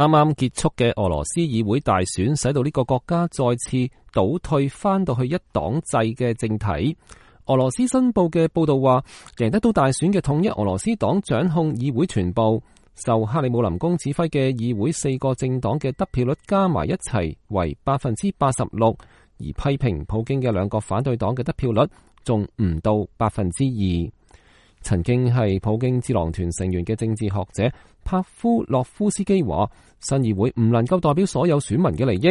啱啱結束嘅俄羅斯議會大選，使到呢個國家再次倒退翻到去一黨制嘅政體。俄羅斯新報嘅報道話，贏得到大選嘅統一俄羅斯黨掌控議會全部，受克里姆林宮指揮嘅議會4個政黨嘅得票率加埋一齊為86%，而批評普京嘅2個反對黨嘅得票率仲唔到2%。曾經係普京智囊團成員嘅政治學者帕夫洛夫斯基話，新議會唔能夠代表所有選民嘅利益。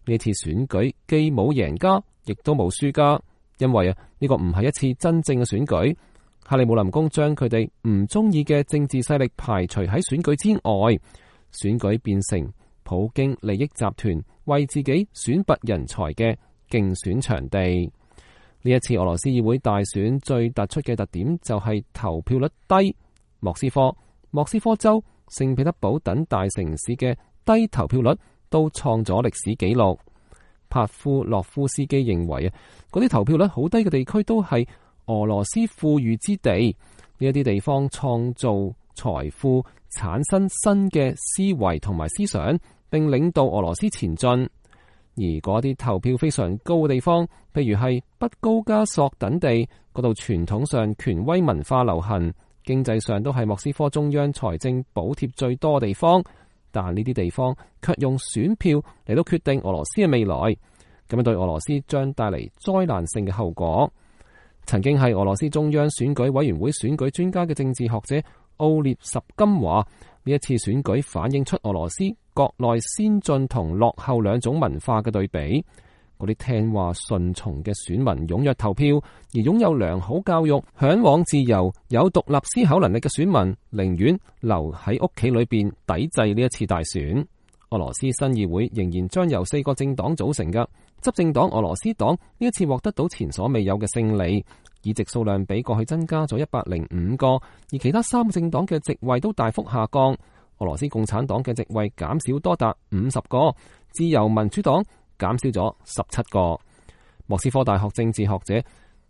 呢次選舉既冇贏家，亦都冇輸家，因為呢個唔係一次真正嘅選舉。克里姆林宮將佢哋唔中意嘅政治勢力排除喺選舉之外，選舉變成普京利益集團為自己選拔人才嘅競選場地。呢一次俄羅斯議會大選最突出嘅特點就係投票率低，莫斯科州、聖彼得堡等大城市嘅低投票率都創咗歷史紀錄。帕夫洛夫斯基認為嗰啲投票率好低嘅地區都係俄羅斯富裕之地，呢一啲地方創造財富，產生新嘅思維同埋思想，並領導俄羅斯前進。而嗰啲投票非常高嘅地方，譬如係北高加索等地，嗰度傳統上權威文化流行，經濟上都係莫斯科中央財政補貼最多嘅地方，但呢啲地方卻用選票嚟到決定俄羅斯嘅未來，咁樣對俄羅斯將帶嚟災難性嘅後果。曾經係俄羅斯中央選舉委員會選舉專家嘅政治學者奧列什金話，呢一次選舉反映出俄羅斯國內先進同落後2種文化嘅對比。嗰啲聽話順從嘅選民踴躍投票，而擁有良好教育、嚮往自由、有獨立思考能力嘅選民寧願留喺屋企裏邊抵制呢一次大選。俄羅斯新議會仍然將由4個政黨組成嘅執政黨俄羅斯黨呢一次獲得到前所未有嘅勝利，議席數量比過去增加咗105個，而其他3個政黨嘅席位都大幅下降。俄羅斯共產黨嘅席位減少多達50個，自由民主黨減少咗17個。莫斯科大學政治學者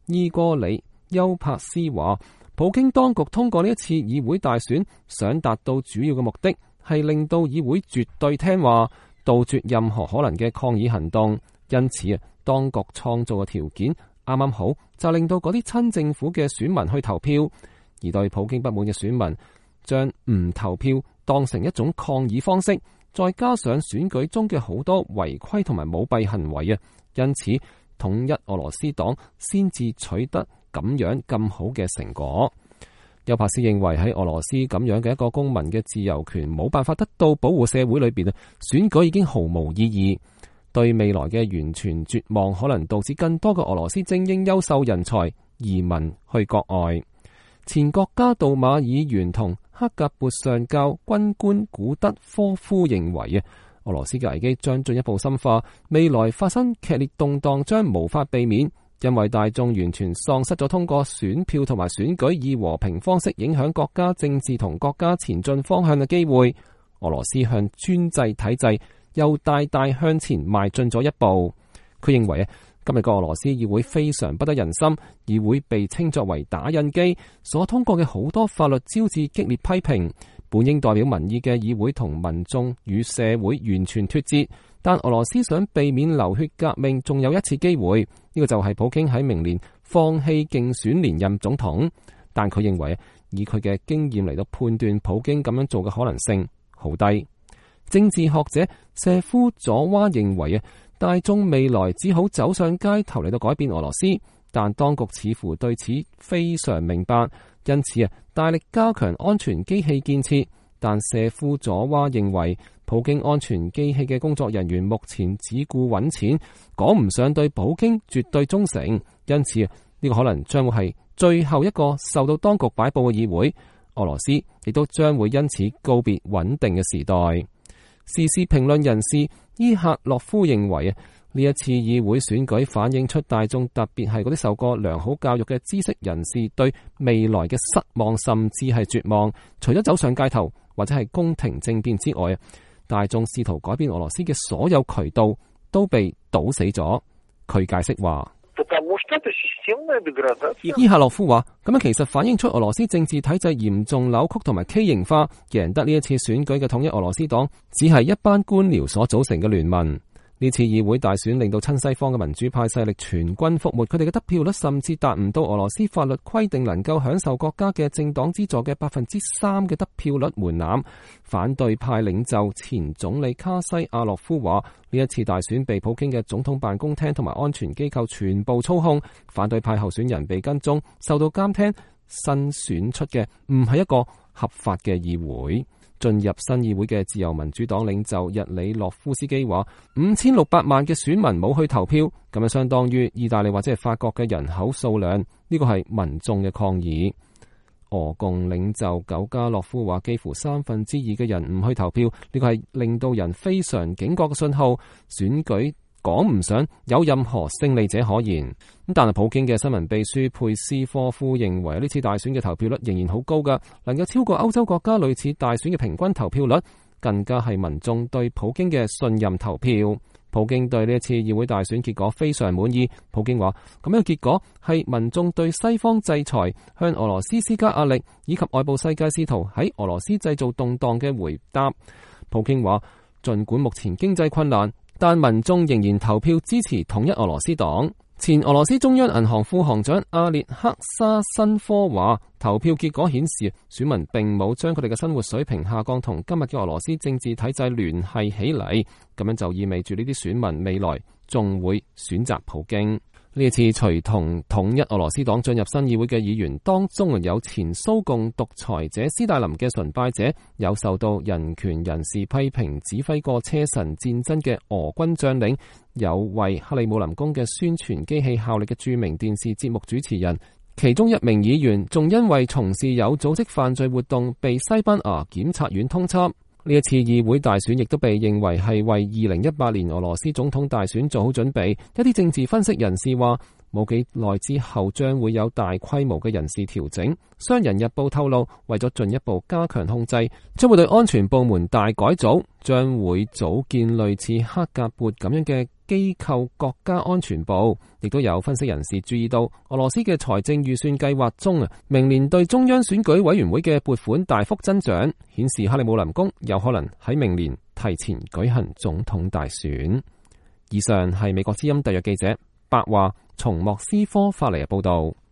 伊戈里丘帕斯話，普京當局通過呢一次議會大選，想達到主要嘅目的係令到議會絕對聽話，杜絕任何可能嘅抗議行動。因此當局創造嘅條件啱啱好，就令到嗰啲親政府嘅選民去投票，而對普京不滿嘅選民將唔投票當成一種抗議方式，再加上選舉中嘅好多違規同埋舞弊行為因此統一俄羅斯黨先至取得咁樣咁好嘅成果。丘帕斯認為喺俄羅斯咁樣嘅一個公民嘅自由權冇辦法得到保護社會裏邊選舉已經毫無意義，對未來嘅完全絕望可能導致更多嘅俄羅斯精英優秀人才移民去國外。前國家杜馬議員同克格勃上校軍官古德科夫認為俄羅斯嘅危機將進一步深化，未來發生劇烈動盪將無法避免，因為大眾完全喪失咗通過選票同埋選舉以和平方式影響國家政治同國家前進方向嘅機會。俄羅斯向專制體制又大大向前邁進咗一步。佢認為今日個俄羅斯議會非常不得人心，議會被稱作為打印機，所通過嘅好多法律招致激烈批評。本應代表民意嘅議會同民眾與社會完全脫節，但俄羅斯想避免流血革命，仲有一次機會，呢個就係普京喺明年放棄競選連任總統。但佢認為以佢嘅經驗嚟到判斷普京咁樣做嘅可能性好低。政治學者謝夫佐娃認為大眾未來只好走上街頭嚟到改變俄羅斯，但當局似乎對此非常明白，因此大力加強安全機器建設。但謝夫佐娃認為普京安全機器嘅工作人員目前只顧揾錢，講唔上對普京絕對忠誠，因此呢個可能將會係最後一個受到當局擺布嘅議會。俄羅斯亦都將會因此告別穩定嘅時代。時事評論人士伊赫洛夫認為呢一次議會選舉反映出大眾，特別係嗰啲受過良好教育嘅知識人士對未來嘅失望甚至係絕望。除咗走上街頭或者係宮廷政變之外，大眾試圖改變俄羅斯嘅所有渠道都被堵死咗。佢解釋話，伊夏洛夫話：咁樣其實反映出俄羅斯政治體制嚴重扭曲同埋畸形化，贏得呢一次選舉嘅統一俄羅斯黨只係一班官僚所組成嘅聯盟。呢次議會大選令到親西方嘅民主派勢力全軍覆沒，佢哋嘅得票率甚至達唔到俄羅斯法律規定能夠享受國家嘅政黨資助嘅3%嘅得票率門檻。反對派領袖前總理卡西亞洛夫話：呢一次大選被普京嘅總統辦公廳同埋安全機構全部操控，反對派候選人被跟蹤、受到監聽，新選出嘅唔係一個合法嘅議會。進入新議會嘅自由民主黨領袖日里諾夫斯基話：5600萬嘅選民冇去投票，咁樣相當於意大利或者係法國嘅人口數量。呢個係民眾嘅抗議。俄共領袖苟加洛夫話：幾乎2/3嘅人唔去投票，呢個係令到人非常警覺嘅信號。選舉講唔上有任何勝利者可言。咁但係普京嘅新聞秘書佩斯科夫認為呢次大選嘅投票率仍然好高㗎，能夠超過歐洲國家類似大選嘅平均投票率，更加係民眾對普京嘅信任投票。普京對呢一次議會大選結果非常滿意。普京話：咁樣嘅結果係民眾對西方制裁、向俄羅斯施加壓力以及外部世界試圖喺俄羅斯製造動盪嘅回答。普京話：儘管目前經濟困難，但民眾仍然投票支持統一俄羅斯黨。前俄羅斯中央銀行副行長阿列克沙申科話：投票結果顯示，選民並冇將佢哋嘅生活水平下降同今日嘅俄羅斯政治體制聯繫起嚟，咁樣就意味住呢啲選民未來仲會選擇普京。呢一次隨同統一俄羅斯黨進入新議會嘅議員當中，有前蘇共獨裁者斯大林嘅崇拜者，有受到人權人士批評指揮過車臣戰爭嘅俄軍將領，有為克里姆林宮嘅宣傳機器效力嘅著名電視節目主持人。其中一名議員仲因為從事有組織犯罪活動被西班牙檢察院通緝。呢一次議會大選亦都被認為係為2018年俄羅斯總統大選做好準備。一啲政治分析人士話，冇幾耐之後將會有大規模嘅人事調整。商人日報透露，為咗進一步加強控制，將會對安全部門大改組，將會組建類似克格勃咁樣嘅機構國家安全部。亦都有分析人士注意到，俄羅斯嘅財政預算計劃中明年對中央選舉委員會嘅撥款大幅增長，顯示克里姆林宮有可能喺明年提前舉行總統大選。以上係美國之音特約記者白話從莫斯科發嚟嘅報道。